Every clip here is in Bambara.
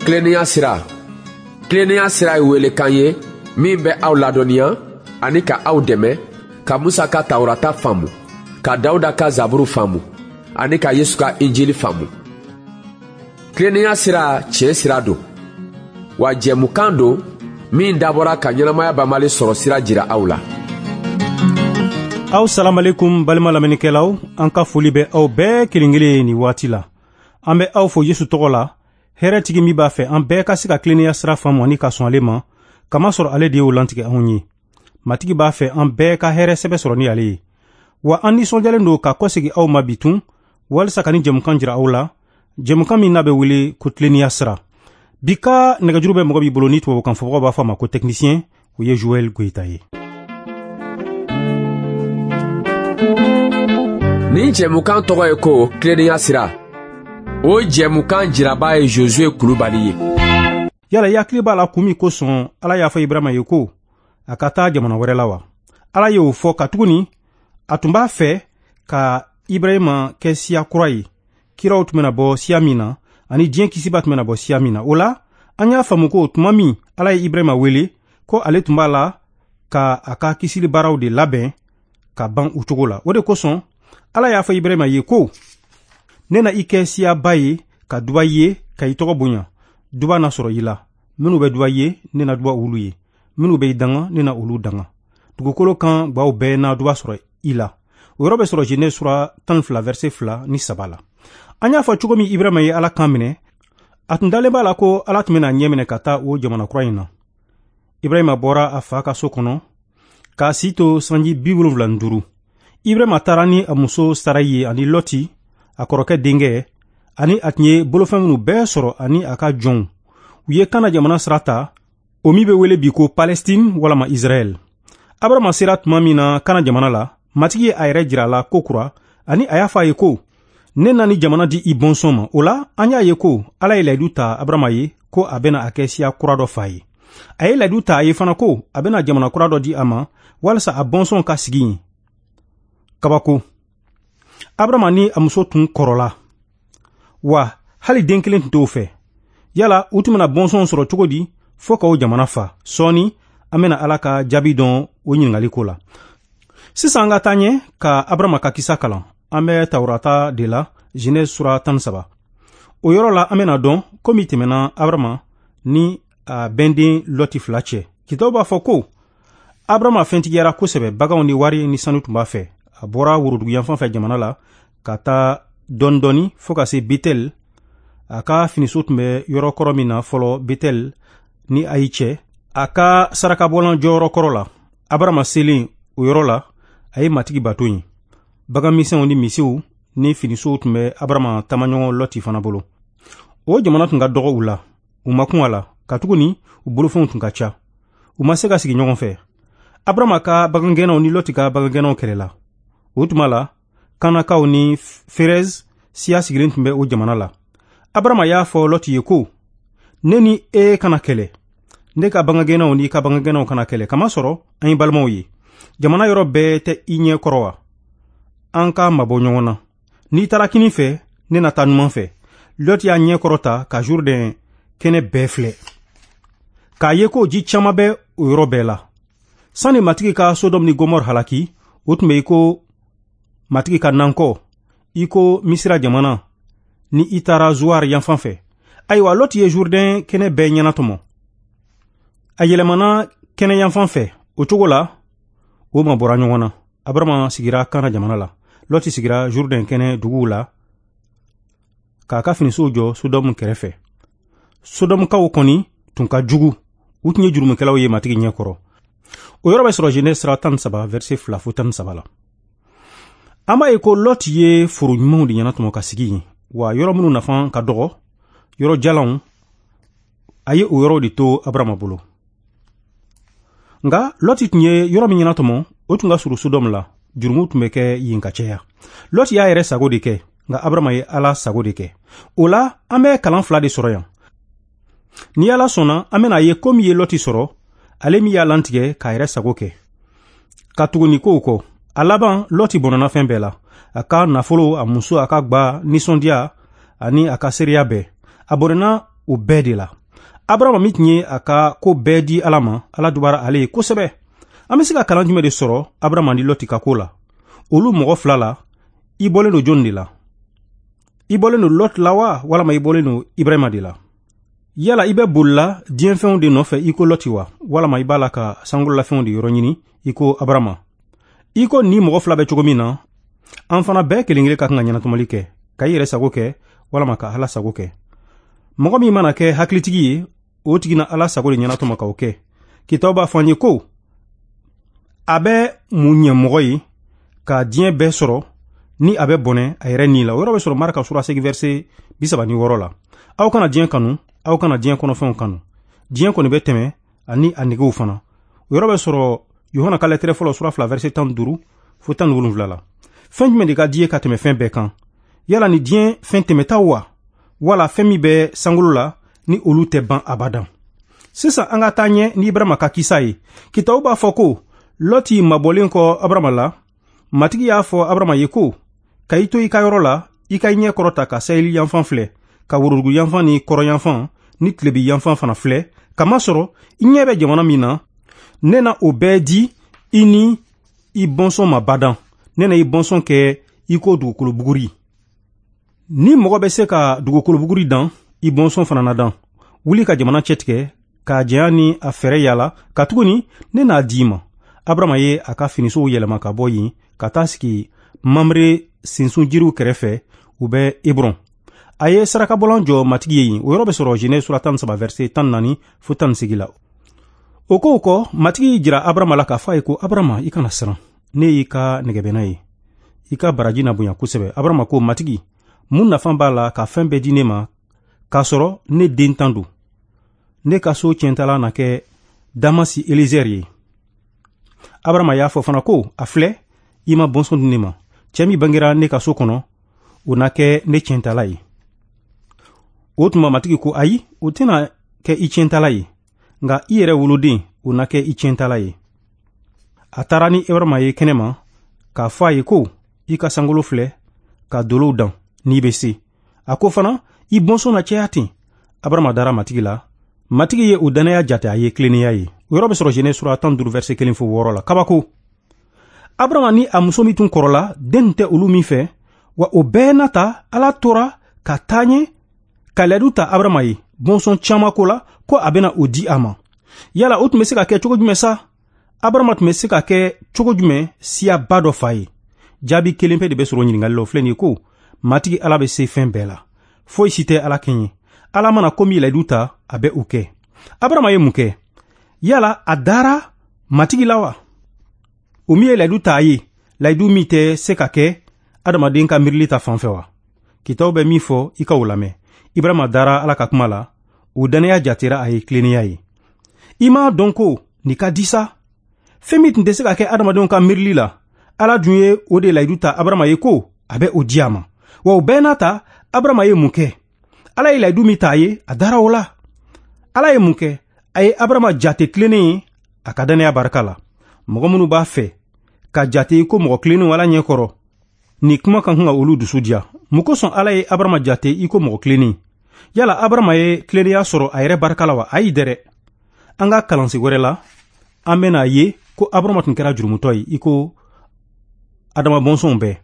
Tilennenya sira. Tilennenya sira ye welekan ye min bɛ aw ladɔnniya ani ka aw dɛmɛ ka Musa ka Tawurata faamu, ka Dawuda ka Zaburu faamu ani ka Yesu ka Injili faamu. Tilennenya sira tiɲɛ sira don, wa jɛmukan don min dabɔra ka ɲɛnamaya banbali sɔrɔ sira jira aw la. Aw salamalekum balima lamɛnnikɛlaw, an ka foli bɛ aw bɛɛ kelen kelen nin waati la. An bɛ aw fo Yesu tɔgɔ la, hɛrɛtigi min b'a fɛ an bɛɛ ka se ka tilennenya sira faamu ani ka sɔn ale ma, kamasɔrɔ ale de y'o lantigɛ anw ye. Matigi b'a fɛ an bɛɛ ka hɛrɛ sɛbɛ sɔrɔ ni ale ye. Wa an nisɔndiyalen don ka kɔsegi aw ma bi tun, walisa ka ni jɛmukan jira aw la, jɛmukan min n'a bɛ wele ko tilennenya sira. Bi ka nɛgɛjuru bɛ mɔgɔ b'i bolo ni tubabukan fɔbagaw b'a fɔ a ma ko technicien, o ye Joël Goyita ye. Nin jɛmukan tɔgɔ ye ko tilennenya sira. O jɛmukan jiraba ye Josue Kulubali ye. Yala i hakili b'a la kun min kosɔn Ala y'a fɔ Ibrahima ye ko a ka taa jamana wɛrɛ la wa? Ala y'o fɔ katuguni a tun b'a fɛ ka Ibrahima kɛ siya kura ye, kiraw tun bɛna bɔ siya min na ani diɲɛ kisiba tun bɛna bɔ siya min na. O la, an y'a faamu ko tuma min Ala ye Ibrahima wele ko ale tun b'a la ka a ka kisili baaraw de labɛn ka ban o cogo la. O de kosɔn Ala y'a fɔ Ibrahima ye ko ne na i kɛ siyaba ye ka duba i ye ka i tɔgɔ bonya. Duba na sɔrɔ i la. Minnu bɛ duba i ye, ne na duba olu ye. Minnu bɛ i danga, ne na olu danga. Dugukolo kan gwaw bɛɛ na duba sɔrɔ i la. O yɔrɔ bɛ sɔrɔ Genèse sura 12 verset 2 ni 3 la. An y'a fɔ cogo min Ibrahima ye Ala kan minɛ, a tun dalen b'a la ko Ala tun bɛna ɲɛ minɛ ka taa o jamana kura in na. Ibrahima bɔra a fa ka so kɔnɔ k'a si to sanji 75. Ibrahima taara ni a muso Sarayi ye ani Lɔti, a kɔrɔkɛ denkɛ, ani a tun ye bolofɛn minnu bɛɛ sɔrɔ ani a ka jɔnw. U ye Kana jamana sira ta, o min bɛ wele bi ko Palestine walama Israɛl. Abrahama sera tuma min na Kana jamana la, Matigi ye a yɛrɛ jira a la ko kura, ani a y'a fɔ a ye ko ne na ni jamana di i bɔnsɔn ma. O la, an y'a ye ko Ala ye layidu ta Abrahama ye ko a bɛna a kɛ siya kura dɔ fa ye. A ye layidu ta a ye fana ko a bɛna jamana kura dɔ di a ma walisa a bɔnsɔn ka sigi yen. Kabako. Abrahama ni a muso tun kɔrɔla, wa hali den kelen tun t'o fɛ. Yala u tun bɛna bɔnsɔn sɔrɔ cogo di fo ka o jamana fa? Sɔɔni an bɛna Ala ka jaabi dɔn o ɲininkali ko la. Sisan an ka taa ɲɛ ka Abrahama ka kisa kalan. An bɛ Tawurata de la, Genèse sura 13. O yɔrɔ la an bɛna dɔn ko min tɛmɛna Abrahama ni a bɛnden Lɔti fila cɛ. Kitabu b'a fɔ ko Abrahama fɛntigiyara kosɛbɛ, baganw ni wari ni sanu tun b'a fɛ. A bɔra woroduguyanfan fɛ jamana la ka taa dɔɔni dɔɔni fo ka se Betel. A ka finiso tun bɛ yɔrɔ kɔrɔ min na fɔlɔ Betel ni Ayi cɛ, a ka sarakabɔlan jɔyɔrɔ kɔrɔ la. Abrahama selen o yɔrɔ la, a ye Matigi bato yen. Bagan misɛnw ni misiw ni finisow tun bɛ Abrahama taamaɲɔgɔn Lɔti fana bolo. O jamana tun ka dɔgɔ u la, u ma kun a la, katuguni u bolofɛnw tun ka ca. U ma se ka sigi ɲɔgɔn fɛ. Abrahama ka bagangɛnnaw ni Lɔti ka bagangɛnnaw kɛlɛla. O tuma la, Kanakaw ni Ferez siya sigilen tun bɛ o jamana la. Abrahama y'a fɔ Lɔti ye ko, ne ni e kana kɛlɛ, ne ka bagangɛnnaw ni i ka bagangɛnnaw kana kɛlɛ, kamasɔrɔ an ye balimaw ye. Jamana yɔrɔ bɛɛ tɛ i ɲɛ kɔrɔ wa? An ka mabɔ ɲɔgɔn na. N'i taara kinin fɛ, ne na taa numan fɛ. Lɔti y'a ɲɛ kɔrɔta ka Jourdain kɛnɛ bɛɛ filɛ, k'a ye ko ji caman bɛ o yɔrɔ bɛɛ la. Sani Matigi ka Sodɔmu ni Gomɔrɔ halaki, o tun bɛ i ko Matigi ka nankɔ, i ko Misira jamana ni i taara Zuwar yanfan fɛ. Ayiwa, Lɔti ye Jourdain kɛnɛ bɛɛ ɲɛnatɔmɔ. A yɛlɛmana kɛnɛ yanfan fɛ. O cogo la, o mabɔra ɲɔgɔn na. Abrahama sigira Kana jamana la. Lɔti sigira Jourdain kɛnɛ duguw la k'a ka finisow jɔ Sodɔmu kɛrɛfɛ. Sodɔmukaw kɔni tun ka jugu. U tun ye jurumukɛlaw ye Matigi ɲɛ kɔrɔ. O yɔrɔ bɛ sɔrɔ Genèse sura 13 verset 2 fo 13 la. An b'a ye ko Lɔti ye foro ɲumanw de ɲɛnatɔmɔ ka sigi yen, wa yɔrɔ minnu nafa ka dɔgɔ, yɔrɔ jalanw, a ye o yɔrɔw de to Abrahama bolo. Nka Lɔti tun ye yɔrɔ min ɲɛnatɔmɔ, o tun ka surun Sodɔmu la. Jurumu tun bɛ kɛ yen ka caya. Lɔti y'a yɛrɛ sago de kɛ, nka Abrahama ye Ala sago de kɛ. O la, an bɛ kalan fila de sɔrɔ yan. Ni Ala sɔnna, an bɛna ye ko min ye Lɔti sɔrɔ, ale min y'a lantigɛ k'a yɛrɛ sago kɛ. Ka tugu nin kow kɔ, a laban Lɔti bɔnɔna fɛn bɛɛ la. A ka nafolo, a muso, a ka gba, nisɔndiya ani a ka seereya bɛɛ. A bɔnɛna o bɛɛ de la. Abarama min tun ye a ka ko bɛɛ di Ala ma, Ala dubara ale ye kosɛbɛ. An bɛ se ka kalan jumɛn de sɔrɔ Abarama ni Lɔti ka ko la? Olu mɔgɔ fila la, i bɔlen don jɔni de la? I bɔlen don Lɔti la wa, walama i bɔlen don Ibrahima de la? Yala i bɛ bolila diɲɛfɛnw de nɔfɛ i ko Lɔti wa, walama i b'a la ka sankololafɛnw de yɔrɔ ɲini i ko Abarama? I ko ni mɔgɔ fila bɛ cogo min na, an fana bɛɛ kelen kelen ka kan ka ɲɛnatɔmɔli kɛ, ka i yɛrɛ sago kɛ walama ka Ala sago kɛ. Mɔgɔ min mana kɛ hakilitigi ye, o tigi na Ala sago de ɲɛnatɔmɔ k'o kɛ. Kitabu b'a fɔ an ye ko a bɛ mun ɲɛ mɔgɔ ye ka diɲɛ bɛɛ sɔrɔ ni a bɛ bɔnɛ a yɛrɛ ni la. O yɔrɔ bɛ sɔrɔ Marka sura 8 verset 36 la. Aw kana diɲɛ kanu, aw kana diɲɛ kɔnɔfɛnw kanu. Diɲɛ kɔni bɛ tɛmɛ ani a negew fana. O yɔrɔ bɛ sɔrɔ Yohana ka lɛtɛrɛ fɔlɔ sura 2 verset 15 fo 17 la. Fɛn jumɛn de ka di ye ka tɛmɛ fɛn bɛɛ kan? Yala ni diɲɛ fɛn tɛmɛtaw wa, wala fɛn min bɛ sankolo la ni olu tɛ ban abadan? Sisan an ka taa ɲɛ ni Ibrahima ka kisa ye. Kitabu b'a fɔ ko Lɔti mabɔlen kɔ Abarama la, Matigi y'a fɔ Abarama ye ko ka i to i ka yɔrɔ la, i ka i ɲɛ kɔrɔta ka saheli yanfan filɛ, ka worodugu yanfan ni kɔrɔ yanfan ni tilebi yanfan fana filɛ, kamasɔrɔ i ɲɛ bɛ jamana min na, ne na o bɛɛ di i ni i bɔnsɔn ma badan. Ne na i bɔnsɔn kɛ i ko dugukolo buguri. Ni mɔgɔ bɛ se ka dugukolo buguri dan, i bɔnsɔn fana na dan. Wuli ka jamana cɛtigɛ, k'a janya ni a fɛɛrɛ yala, katuguni ne n'a di i ma. Abarama ye a ka finisow yɛlɛma ka bɔ yen ka taa sigi Mamre sinsun jiriw kɛrɛfɛ, u bɛ Hebron. A ye sarakabɔlan jɔ Matigi ye yen. O yɔrɔ bɛ sɔrɔ Genèse sura 13 verset 14 fo 18 la. O kow kɔ, Matigi y'i jira Abarama la k'a fɔ a ye ko Abarama, i kana siran, ne y'i ka nɛgɛbɛnna ye, i ka baraji na bonya kosɛbɛ. Abarama ko, Matigi, mun nafa b'a la ka fɛn bɛɛ di ne ma k'a sɔrɔ ne den tan don? Ne ka so tiɲɛtala na kɛ Damasi Elizɛri ye. Abarama y'a fɔ fana ko, a filɛ, i ma bɔnsɔn di ne ma. Cɛ min bangera ne ka so kɔnɔ, o na kɛ ne tiɲɛtala ye. O tuma Matigi ko, ayi, o tɛna kɛ i tiɲɛtala ye, nka i yɛrɛ woloden, o na kɛ i tiɲɛtala ye. A taara ni Ibrahima ye kɛnɛma k'a fɔ a ye ko, i ka sankolo filɛ, ka dolow dan n'i bɛ se. A ko fana, i bɔnsɔn na caya ten. Abarama dara Matigi la. Matigi ye o dannaya jate a ye tilennenya ye. O yɔrɔ bɛ sɔrɔ Genèse sura 15 verset 1 fo 6 la. Kabako. Abarama ni a muso min tun kɔrɔla, den tɛ olu min fɛ, wa o bɛɛ n'a ta, Ala tora ka taa ɲɛ ka layidu ta Abarama ye bɔnsɔn caman ko la, ko a bɛna o di a ma. Yala o tun bɛ se ka kɛ cogo jumɛn sa? Abarama tun bɛ se ka kɛ cogo jumɛn siyaba dɔ fa ye? Jaabi kelen pe de bɛ sɔrɔ ɲininkali la, o filɛ nin ye ko Matigi Ala bɛ se fɛn bɛɛ la. Foyi si tɛ Ala kɛɲɛ. Ala mana ko min layidu ta, a bɛ o kɛ. Abarama ye mun kɛ? Yala a dara Matigi la wa? O min ye layidu ta a ye, layidu min tɛ se ka kɛ adamaden ka miirili ta fan fɛ wa? Kitabu bɛ min fɔ, i ka o lamɛn. Ibrahima dara Ala ka kuma la, o dannaya jatera a ye tilennenya ye. I m'a dɔn ko nin ka di sa? Fɛn min tun tɛ se ka kɛ adamadenw ka miirili la, Ala dun ye o de layidu ta Abarama ye ko a bɛ o di a ma. Wa o bɛɛ n'a ta, Abarama ye mun kɛ? Ala ye layidu min ta a ye, a dara o la. Ala ye mun kɛ? A ye Abarama jate tilennen ye a ka dannaya barika la. Mɔgɔ minnu b'a fɛ ka jate i ko mɔgɔ tilennenw Ala ɲɛkɔrɔ, nin kuma ka kan ka olu dusu diya. Mun kosɔn Ala ye Abarama jate i ko mɔgɔ tilennen? Yala Abarama ye tilennenya sɔrɔ a yɛrɛ barika la wa? Ayi dɛrɛ. An ka kalansen wɛrɛ la, an bɛna ye ko Abarama tun kɛra jurumutɔ ye i ko Adama bɔnsɔnw bɛɛ.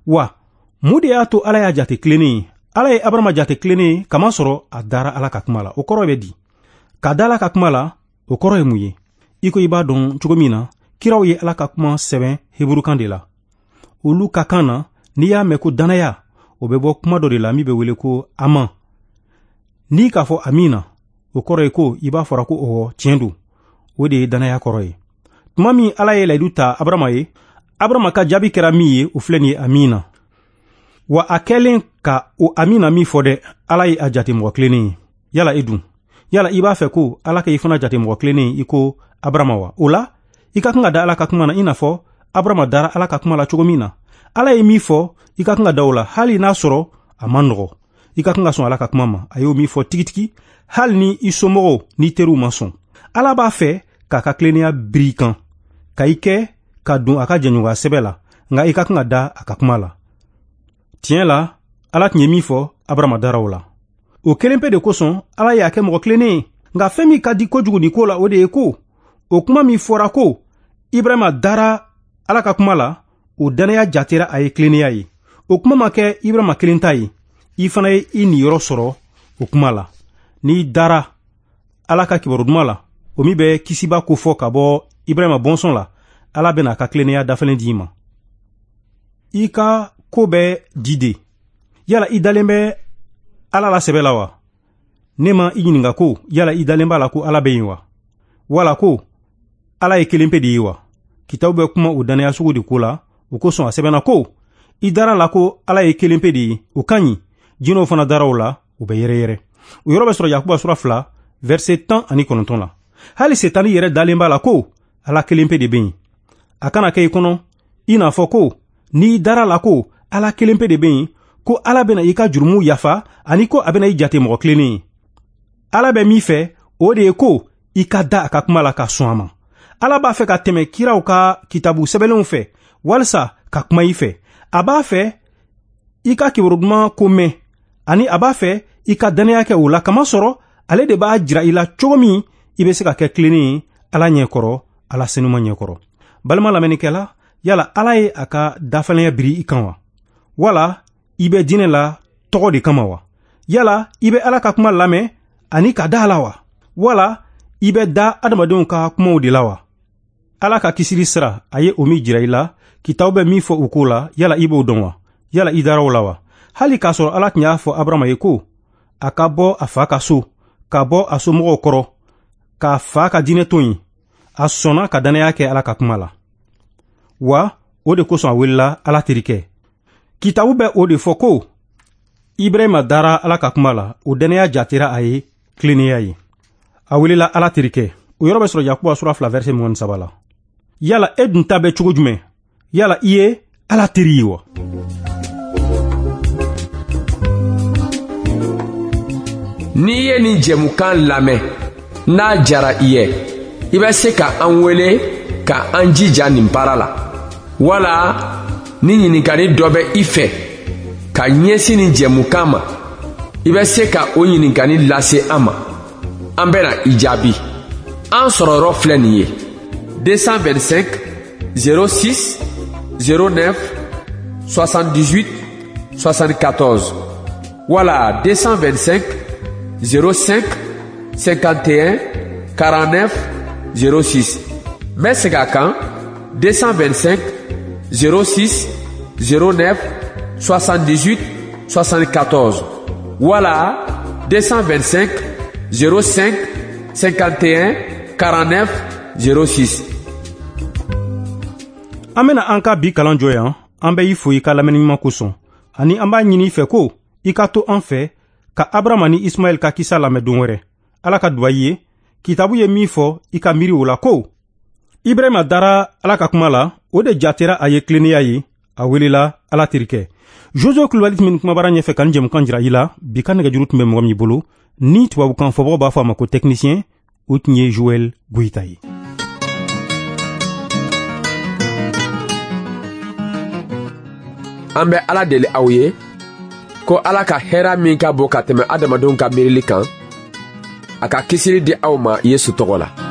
Wa mun de y'a to Ala y'a jate tilennen ye? Ala ye Abarama jate tilennen ye kamasɔrɔ a dara Ala ka kuma la. O kɔrɔ bɛ di? Ka da Ala ka kuma la, o kɔrɔ ye mun ye? I ko i b'a dɔn cogo min na, kiraw ye Ala ka kuma sɛbɛn heburukan de la. Olu ka kan na, n'i y'a mɛn ko dannaya, o bɛ bɔ kuma dɔ de la min bɛ wele ko aman. N'i k'a fɔ amina, o kɔrɔ ye ko i b'a fɔra ko ɔwɔ, tiɲɛ don. O de ye dannaya kɔrɔ ye. Tuma min Ala ye layidu ta Abarama ye, Abarama ka jaabi kɛra min ye, o filɛ nin ye amina. Wa a kɛlen ka o amina min fɔ dɛ, Ala ye a jate mɔgɔ tilennen ye. Yala e dun? Yala i b'a fɛ ko Ala ka i fana jate mɔgɔ tilennen ye i ko Abarama wa? O la, i ka kan ka da Ala ka kuma na i n'a fɔ Abarama dara Ala ka kuma la cogo min na. Ala ye min fɔ, i ka kan ka da o la, hali n'a sɔrɔ a man nɔgɔ. I ka kan ka sɔn Ala ka kuma ma. A y'o min fɔ tigitigi, hali ni i somɔgɔw n'i teriw ma sɔn. Ala b'a fɛ k'a ka tilennenya biri i kan, ka i kɛ ka don a ka jɛɲɔgɔnya sɛbɛ la, nka i ka kan ka da a ka kuma la. Tiɲɛ la, Ala tun ye min fɔ, Abarama dara o la. O kelen pe de kosɔn Ala y'a kɛ mɔgɔ tilennen ye. Nka fɛn min ka di kojugu nin ko la, o de ye ko o kuma min fɔra ko Ibrahima dara Ala ka kuma la, o dannaya jatera a ye tilennenya ye. O kuma ma kɛ Ibrahima kelen ta ye, i fana ye i niyɔrɔ sɔrɔ o kuma la. N'i dara Ala ka kibaru duman la, o min bɛ kisiba kofɔ ka bɔ Ibrahima bɔnsɔn la, Ala bɛna a ka tilennenya dafalen di i ma. I ka ko bɛ di de. Yala i dalen bɛ Ala la sɛbɛ la wa? Ne ma i ɲininka ko yala i dalen b'a la ko Ala bɛ yen wa? Wala ko Ala ye kelen pe de ye wa? Kitabu bɛ kuma o dannaya sugu de ko la, o kosɔn a sɛbɛnna ko i dara la ko Ala ye kelen pe de ye, o ka ɲi. Jinɛw fana dara o la, u bɛ yɛrɛyɛrɛ. O yɔrɔ bɛ sɔrɔ Yakuba sura 2, verset 19 la. Hali Setani yɛrɛ dalen b'a la ko Ala kelen pe de bɛ yen. A kana kɛ i kɔnɔ i n'a fɔ ko n'i dara la ko Ala kelen pe de bɛ yen, ko Ala bɛna i ka jurumuw yafa ani ko a bɛna i jate mɔgɔ tilennen ye. Ala bɛ min fɛ, o de ye ko i ka da a ka kuma la ka sɔn a ma. Ala b'a fɛ ka tɛmɛ kiraw ka kitabu sɛbɛnlenw fɛ walisa ka kuma i fɛ. A b'a fɛ i ka kibaru duman ko mɛn, ani a b'a fɛ i ka dannaya kɛ o la, kamasɔrɔ ale de b'a jira i la cogo min i bɛ se ka kɛ tilennen ye Ala ɲɛkɔrɔ, Ala senuma ɲɛkɔrɔ. Balima lamɛnnikɛla, yala Ala ye a ka dafalenya biri i kan wa? Wala i bɛ diinɛ la tɔgɔ de kama wa? Yala i bɛ Ala ka kuma lamɛn ani ka da a la wa? Wala i bɛ da adamadenw ka kumaw de la wa? Ala ka kisili sira, a ye o min jira i la, kitabu bɛ min fɔ o ko la, yala i b'o dɔn wa? Yala i dara o la wa? Hali k'a sɔrɔ Ala tun y'a fɔ Abarahama ye ko a ka bɔ a fa ka so, ka bɔ a somɔgɔw kɔrɔ, k'a fa ka diinɛ to yen, a sɔnna ka dannaya kɛ Ala ka kuma la. Wa o de kosɔn a welela Ala terikɛ. Kitabu bɛ o de fɔ ko Ibrahima dara Ala ka kuma la, o dannaya jatera a ye tilennenya ye. A welela Ala terikɛ. O yɔrɔ bɛ sɔrɔ Yakuba sura 2 verset 23 la. Yala e dun ta bɛ cogo jumɛn? Yala i ye Ala teri ye wa? N'i ye nin jɛmukan lamɛn, n'a jara i ye, i bɛ se ka an wele ka an jija nin baara la. Wala ni ɲininkali dɔ bɛ i fɛ ka ɲɛsin nin jɛmukan ma, i bɛ se ka o ɲininkali lase an ma. An bɛna i jaabi. An sɔrɔ yɔrɔ filɛ nin ye: 225 06 09 78 74 wala 225 05 51 49 06. N bɛ segin a kan: 225 06 09 78 74 wala 225 05 51 49 06. An bena an ka bi kalan jɔ yan. An bɛ i fo i ka lamɛnni ɲuman kosɔn, ani an b'a ɲini i fɛ ko i ka to an fɛ ka Abrahama ni Ismaɛl ka kisa lamɛn don wɛrɛ. Ala ka duba i ye. Kitabu ye min fɔ, i ka miiri o la ko Ibrahima dara Ala ka kuma la, o de jatera a ye tilennenya ye, a welela Ala terikɛ. Josué Kulubali tun bɛ nin kumabara ɲɛfɛ ka nin jɛmukan jira i la. Bi ka nɛgɛjuru tun bɛ mɔgɔ min bolo, ni tubabukan fɔbagaw b'a fɔ a ma ko technicien, o tun ye Joël Goyita ye. An bɛ Ala deli aw ye ko Ala ka hɛrɛ min ka bon ka tɛmɛ adamadenw ka miirili kan, a ka kisili di aw ma Yesu tɔgɔ la.